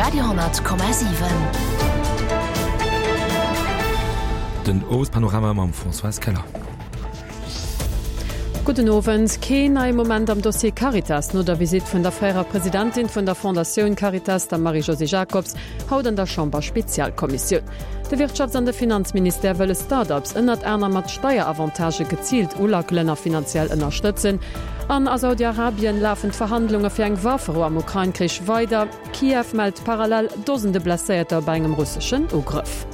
Radio,7. Den Owespanorama mam Françoise Keller. Gudden Owend. Keen neie Moment am Dossier Caritas no der Visitt vun der fréierer Presidentin vun der Fondatioun Caritas, der Marie-Josée Jacobs, haut an der Chamber-Spezialkommissioun. De Wirtschafts an de Finanzministère wëlle Start-ups ënnert anerem mat Steieravantagë geziilt ulackelen a finanziell ënnerstëtzen. An a Saudi-Arabien lafen d'Verhandlunge fir eng Wafferou am Ukrain-Krich weider. Kiew mellt parallel Dosende Blesséierter bei engem russeschen Ugrëff.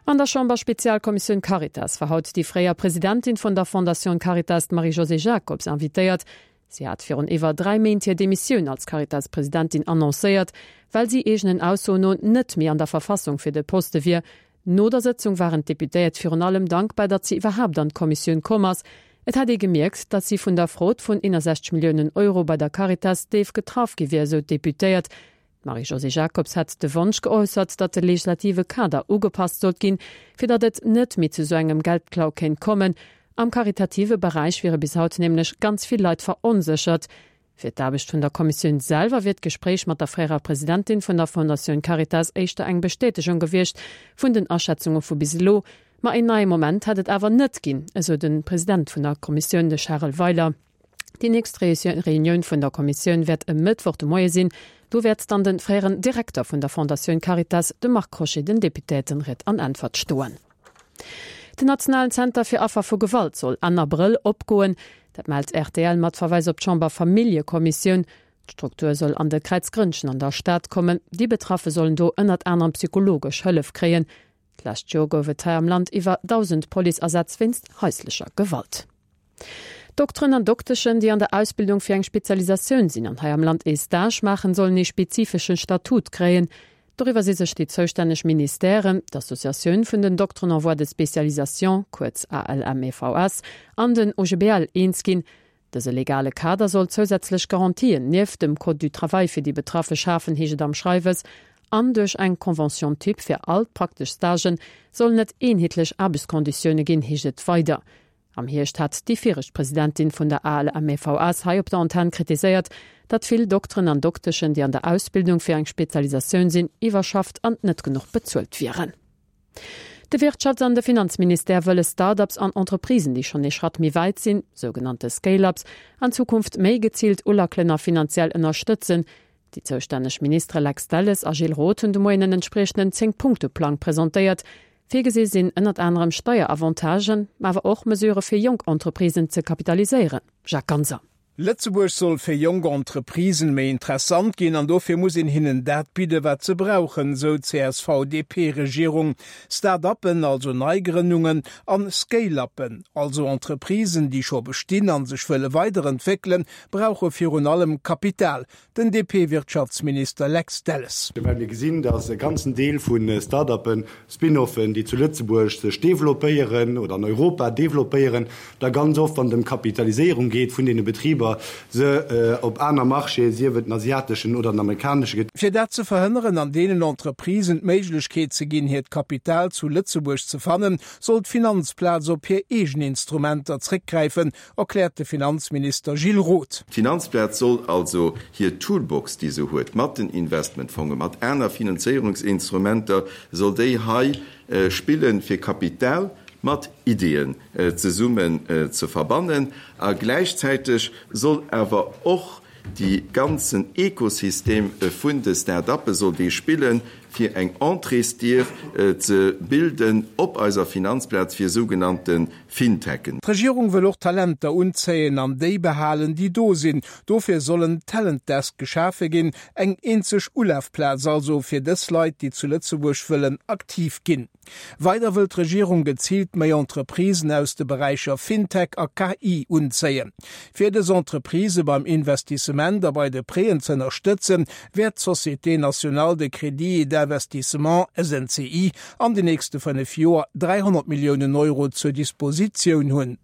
An der Chamber-Spezialkommissioun Caritas war haut déi fréier Presidentin vun der Fondation Caritas, d'Marie-Josée Jacobs, invitéiert. Si hat virun iwwer 3 Méint hir Demissioun als Caritas-Presidentin annoncéiert, well si eegenen Aussoen no net méi an der Verfassung fir de Poste wier. No der Sëtzung waren d'Deputéiert virun allem dankbar, datt si iwwerhaapt an d'Kommissioun komm ass. Et hätt ee gemierkt, datt si vun der Fraude vun 61 Milliounen Euro bei der Caritas déif getraff gi wier, esou d'Deputéiert. D'Marie-Josée Jacobs hätt de Wonsch geäussert, datt de legislative Kader ugepasst sollt ginn, fir datt et net méi zu sou engem Geldklau kéint kommen. Am karitative Beräich wiere bis haut nämlech ganz vill Leit veronséchert. Fir d'Aarbecht vun der Kommissioun selwer wier d'Gespréich mat der fréierer Presidentin vun der Fondatioun Caritas éischter eng Bestätegung gewiescht vun den Aschätzunge vu bis elo. Ma een neie Moment hätt et awer net ginn, esou de President vun der Kommissioun, de Charel Weiler. Déi nächst Reunioun vun der Kommissioun wäert e Mëttwoch de Moie sinn. Do wäert dann de fréieren Direkter vun der Fondatioun Caritas, de Marc Crochet, den Deputéierten Ried an Äntwert stoen. Den nationalen Zenter fir Affer vu Gewalt soll Enn Abrëll opgoen. Dat mellt rtl mat Verweis op d'Chamber-Familljekommissioun. D'Struktur soll an de Kräizgrënnchen an der Stad kommen. Déi Betraffe sollen do ënnert anerem psychologesch Hëllef kréien. D'lescht Joer gouf et hei am Land iwwer 1.000 Policeasätz wéinst haislecher Gewalt. Dokteren an Dokteschen, déi an der Ausbildung fir eng Spezialisatioun sinn an hei am Land ee Stage maachen, sollen ee spezifesche Statut kréien. Doriwwer si sech déi zoustänneg Ministèren, d'Associatioun vun den Dokteren en voie de spécialisation, kuerz ALMEVS, an den OGBL eens ginn. Dëse legale Kader soll zousätzlech Garantien nieft dem Code du travail fir déi Betraffe schafen, heescht et am Schreiwes. An duerch eng Convention type fir all d'praktesch Stagen sollen et eenheetlech Aarbechtskonditioune ginn, heescht et weider. Am Hierscht hat déi viregt Presidentin vun der ALMEVS hei op der Antenn kritiséiert, datt vill Dokteren an Dokteschen, déi an der Ausbildung fir eng Spezialisatioun sinn, iwwerschafft an net genuch bezuelt wieren. De Wirtschafts an de Finanzministère wëlle Start-ups an Entreprisen, déi schonn ee Schratt méi wäit sinn, sougenannte Scale-ups, an Zukunft méi geziilt ulackelen a finanziell ënnerstëtzen. Déi zoustänneg Ministere Lex Delles a Gilles Roth hunn de Moien en entspriechenden Zéng-Punkte-Plang presentéiert. Virgesi sinn ënnert anerem Steieravanctagen, ma awer och Mesurë fir jonk Entreprisen ze kapitaliséieren. Jacques Ganser. Lëtzebuerg soll fir jonk Entreprisen méi interessant ginn an dofir muss een hinnen dat bidde wat se brauchen, sou d'CSV-DP-Regierung. Start-uppen, also Neigrënnungen, an Scale-uppen, also Entreprisen déi scho bestinn an sech wëlle weiderentwéckelen, brauche virun allem Kapital. Den DP-Wirtschaftsminister Lex Delles. Well mir gesinn, datt e ganzen Deel vu Start-uppen, Spin-offen, déi zu Lëtzebuerg sech developpéieren oder an Europa developpéieren, da ganz oft, wann et ëm d'Kapitaliséierung geet vun deene Betriber, se op aner Marchéen, sief et den asiateschen oder den amerikanesche. Fir dat ze verhënneren an deenen Entreprisen d'Méiglechkeet ze ginn, hiert Kapital zu Lëtzebuerg ze fannen, soll d'Finanzplaz op hir eegen Instrumenter zréckgräifen, erkläert de Finanzminister Gilles Roth. D'Finanzplaz soll also hir Toolbox, déi se huet mat den Investmentfongen, mat aner Finanzéierungsinstrumenter, soll déi hei spillen, fir Kapital mat Ideeën zesummen ze verbannen. A gläichzäiteg soll awer och Dee ganzen Ekosystem vun de Start-uppe soll dee spillen, fir eng Entréesdier ze bilden op eiser Finanzplaz fir sougenannte Fintechen. D'Regierung wëll och Talenter unzéien an déi behalen, déi do sinn. Dofir soll en Talent Desk geschafe ginn, eng eenzeg Ulafplaz also fir dës Leit, déi zu Lëtzebuerg wëllen aktiv ginn. Weider wëll d'Regierung geziilt méi Entreprisen aus de Beräicher Fintech a KI unzéien. Fir dës Entreprisë beim Investissement a bei de Prêten z'ënnerstëtzen, wäert d'Société nationale de crédit et d'investissement, SNCI, an den nächste 5 Joer 300 Milliounen Euro zur Dispositioun hunn.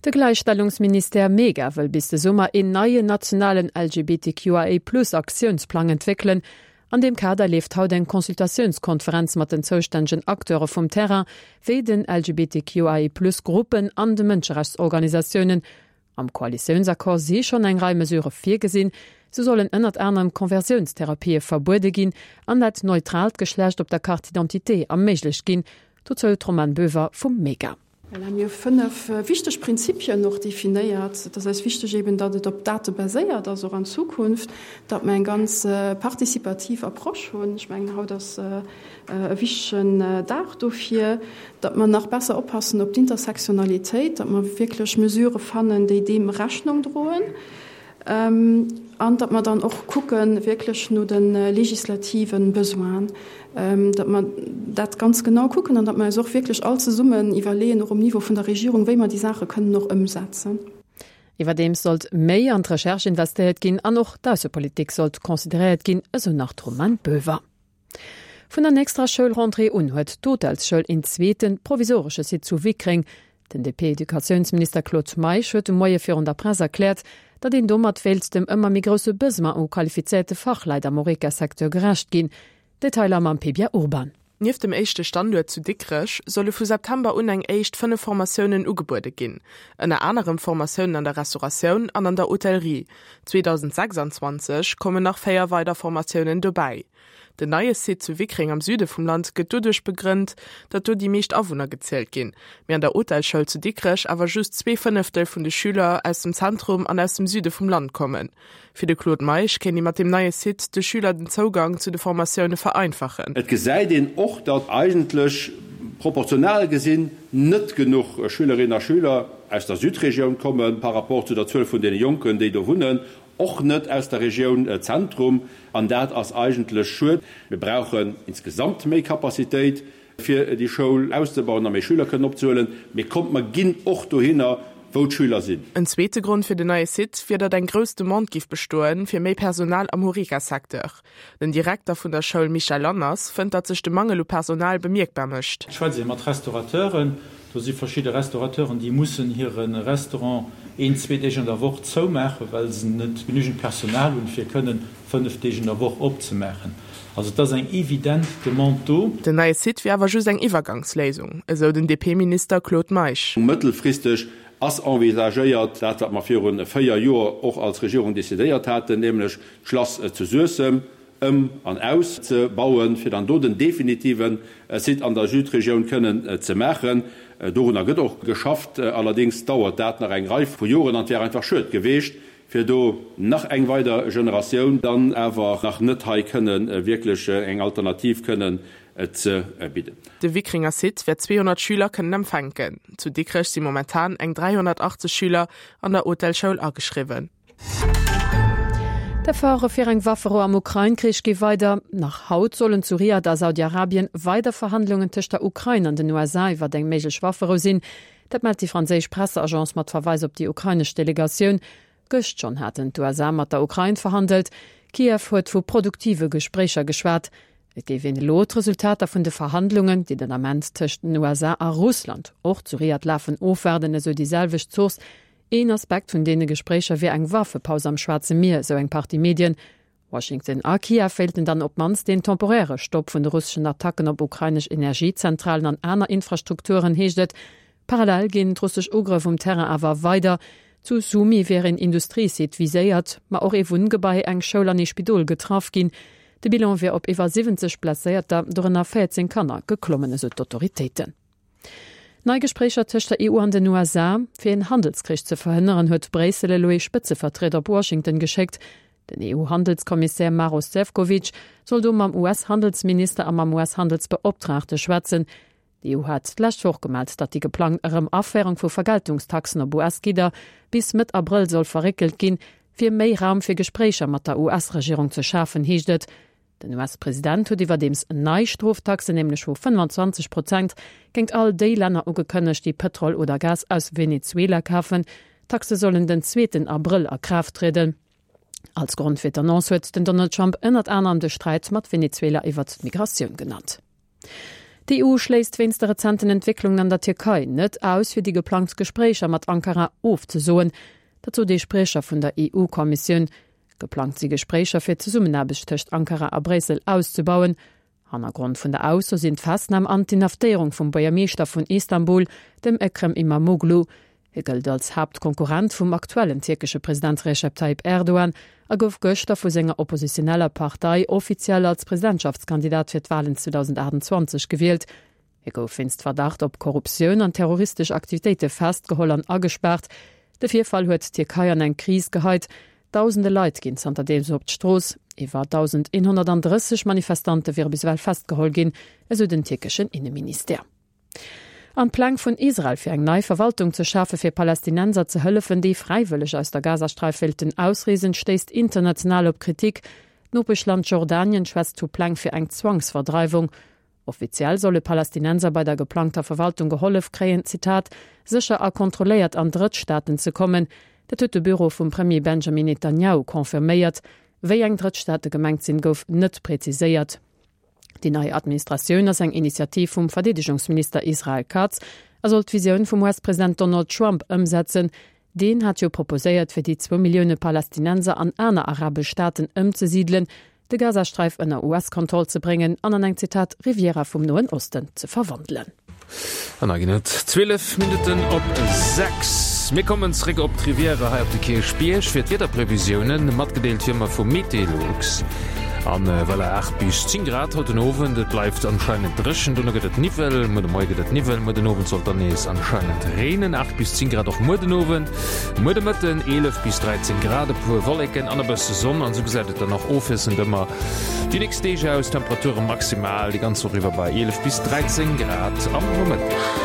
De Gläichstellungsministère Mega wëll bis de Summer een neien nationalen LGBTQIA-Plus-Aktiounsplang entwéckelen. An deem Kader leeft haut eng Consultatiounskonferenz mat den zoustännegen Acteure vum Terrain, wéi den LGBTQIA-Plus-Gruppen an de Mënscherechtsorganisatiounen. Am Koalitiounsaccord si schonn eng Rei Mesurë virgesinn. Sou sollen ënnert anerem Conversiounstherapie verbuede ginn an dat neutraalt Geschlecht op der Carte d'identité erméiglecht ginn. Dozou d'Romane Boever vum Mega. Voilà, mir hu 5 wichteg Prinzipien och definéiert. Et ass eis wichteg eben, datt et op Date baséiert ass, och an Zukunft, datt mer eng ganz participativ Approche hunn. Ech mengen, haut ass e wichtegen Dag dofir, datt mer nach besser oppassen op d'Intersektionalitéit, datt mer wierklech Mesurë fannen, déi deem Rechnung droen. An datt mer dann och kucke wierklech no de legislative Besoinen, datt mer dat ganz genau kucken an datt mer eis och wierklech all zesummen iwwerleeën, och um Niveau vun der Regierung, wéi mer déi Saache kënnen och ëmsetzen. Iwwerdeems sollt méi an d'Recherche investéiert ginn an och d'Aussepolitik sollt consideréiert ginn, esou nach d'Romane Boever. Vun der nächster Schoulrentrée un huet d'Hotelsschoul een zweeten, provisoresche Site zu Wickreng. Den DP-Educatiounsminister Claude Meisch huet de Moie virun der Press erkläert, datt een domat wéilt dem ëmmer méi grousse Besoin u qualifizéierte Fachleit am Horeca-Secteur gerecht ginn. Detailer mam Pebia Urban. Nieft dem éischte Standuert zu Dikrech solle vu September un eng éischt 5 Formatiounen ugebuede ginn, ënner anerem Formatiounen an der Restauratioun an an der Hotellerie. 2026 kommen nach 4 weider Formatiounen dobäi. Den neie Site zu Wickreng am Süde vum Land gëtt doduerch begrënnt, datt do déi meescht Awunner gezielt ginn, mee an der Hotelschoul zu Dikrech awer just 2/5 vun de Schüler aus dem Zentrum an aus dem Süde vum Land kommen. Fir de Claude Meisch kéint ee mat deem neie Site de Schüler den Zougang zu de Formatioune vereinfachen. Et gesäit een och, datt eigentlech proportional gesinn net genuch Schülerinnen a Schüler aus der Südregioun komme par rapport zu der Zuel vun deene Jonken, déi do wunnen. Och net aus der Regioun Zentrum, an dat ass eigentlech schued. Mir brauchen insgesamt méi Capacitéit, fir déi Schoul auszebauen a méi Schüler kënnen opzehuelen. Mee kommt, mer ginn och dohinner, wou d'Schüler sinn. En zweete Grond fir den neie Site wier, datt eng grouss Demande giff bestoen, fir méi Personal am Horeca-Secteur. Den Direkter vun der Schoul Michel Lanners fënnt, datt sech de Mangel u Personal bemierkbar mécht. Et schwätzt ee mat Restaurateuren. Do si verschidde Restaurateuren, déi mussen hire Restaurant een, zwee Deeg an der Woch zoumaachen, well se net genügend Personal hunn, fir kënnen 5 Deeg an der Woch opzemaachen. Also et ass eng evident Demande do. Den neie Site wier awer just eng Iwwergangsléisung, esou den DP-Minister Claude Meisch. Mëttelfristeg ass envisagéiert, dat wat mer viru 4 Joer och als Regierung decidéiert haten, nämlech d'Schlass zu Suessem ëm an aus ze bauen, fir dann do den definitive Site an der Südregioun kënnen ze maachen. Dorunner gëtt och geschafft, allerdéngs dauert dat nach eng Rei vu Joren an et wär einfach schued geweecht, fir do nach eng weider Generatioun dann awer nach net hei kënne wierklech eng Alternativ kënnen ze bidden. De Wickringer Site wäert 200 Schüler kënnen empfänken. Zu Dikrech si momentan eng 380 Schüler an der Hotelschoul ageschriwwen. D'Efforte fir eng Wafferou am Ukrain-Krich gi weider. Nach haut sollen zu Riad a Saudi-Arabien weider Verhandlungen tëscht der Ukrain an den USA iwwer eng méiglech Wafferou sinn. Dat mellt déi franséisch Presseagence mat Verweis op déi ukrainesch Delegatioun. Gëscht schonn haten d'USA mat der Ukrain verhandelt. Kiew huet vu produktive Gespréicher geschwat. Et géif een elo d'Resultater vun de Verhandlungen, déi den Ament tëscht den USA a Russland och zu Riad lafen, ofwaarden, esou déi selwecht Source. Een Aspekt vun deene Gespréicher wier eng Waffepaus am Schwaarze Mier, esou eng Partie Medien. Washington a Kiew wéilten dann op d'mannst een temporäre Stopp vun de russeschen Attacken op ukrainesch Energiezentralen an aner Infrastrukturen, heescht et. Parallel ginn d'russesch Ugrëff um Terrain awer weider. Zu Sumy wier een Industriesite viséiert, ma och ee Wunngebai, eng Schoul an ee Spidol getraff ginn. De Bilan wier op iwwer 70 Blesséierter, dorënner 14 Kanner, geklommen, esou d'Autoritéiten. Nei Gespréicher tëscht der EU an den USA. Fir een Handelskrich ze verhënneren, huet Bréissel elo ee Spëtzevertrieder op Washington geschéckt. Den EU-Handelskommissär Maros Sefcovic soll do mam US-Handelsminister a mam US-Handelsbeoptraagte schwätzen. D'EU hat d'lescht Woch gemellt, datt déi geplangt Erëm-Aféierung vu Vergeltungstaxen op US-Gidder bis Mëtt Abrëll soll verréckelt ginn, fir méi Raum fir Gespréicher mat der US-Regierung ze schafen, heescht et. Den US-President huet iwwerdeems nei Stroftaxen, nämlech vu 25 Prozent, géint all déi Länner ugekënnegt, déi Pëtrol oder Gas aus Venezuela kafen. D'Taxe sollen den zweeten Abrëll a Kraaft trieden. Als Grond fir d'Annonce huet den Donald Trump ënnert anerem de Sträit mat Venezuela iwwert d'Migratioun genannt. D'EU schléisst wéinst de rezenten Entwécklungen an der Tierkei net aus, fir déi geplangt Gespréicher mat Ankara ofzesoen. Dat sot ee Spriecher vun der EU-Kommissioun. Geplangt si Gespréicher fir d'Zesummenaarbecht tëscht Ankara a Bréissel auszebauen. Hannergrond vun der Ausso sinn d'Festnam an d'Inhaftéierung vum Buergermeeschter vun Istanbul, dem Ekrem Imamoglu. Hie gëllt als Haaptkonkurrent vum aktuellen tierkesche President Recep Tayyip Erdogan a gouf gëschter vu senger oppositioneller Partei offiziell als Presidentschaftskandidat fir d'Walen 2028 gewielt. Hie gouf wéinst Verdacht op Korruptioun an terroristesch Aktivitéite festgeholl an agespaart. De Virfall huet d'Tierkei an eng Kris geheit. Dausende Leit ginn zanterdeems op d'Strooss. Iwwer 1.130 Manifestante wiere bis ewell festgeholl ginn, esou den tierkeschen Inneministère. An d'Pläng vun Israel fir eng nei Verwaltung ze schafe fir Palästinenser ze hëllefen, déi fräiwëlleg aus der Gazasträif wéilten ausreesen, stéisst international op Kritik. D'Nopeschland Jordanien schwätzt vu Pläng fir eng Zwangsverdreiwung. Offiziell solle Palästinenser bei der geplangter Verwaltung gehollef kréien, Zitat, sécher a kontrolléiert an Drëttstaaten ze kommen. Dat huet de Büro vum Premier Benjamin Netanjahu confirméiert. Wéi eng Drëttstaate gemengt sinn, gouf net preziséiert. Déi nei Administratioun ass eng Initiativ vum Verdeedegungsminister Israel Katz a soll d'Visioun vum US-President Donald Trump ëmsetzen. Deen hat jo proposéiert, fir déi zwou Millioune Palästinenser an aner arabesch Staaten ëmzesidelen, de Gazasträif ënner US-Kontroll ze bréngen an an eng, Zitat, Riviera vum Noen Osten ze verwandelen. An da ginn et 12 Minutten op 6. Mir kommen zréck op d'Rivière hei op de Kierchbierg fir d'Wiederprevisiounen, matgedeelt wéi ëmmer vu Meteolux. An voilà, 8 bis 10 Grad haut den Owend. Et bleift anscheinend dréchen, dono gëtt et Niwwel. Muer de Moie gëtt et Niwwel, muer den Owend sollt dann nees anscheinend reenen. 8 bis 10 Grad och muer den Owend. Muer de Mëtten 11 bis 13 Grad, e puer Wolleken an e bësse Sonn. An esou gesäit et dann och ofwiesselnd ëmmer déi nächst Deeg aus. Temperature maximal déi ganz Woch iwwer bei 11 bis 13 Grad am Nomëtteg.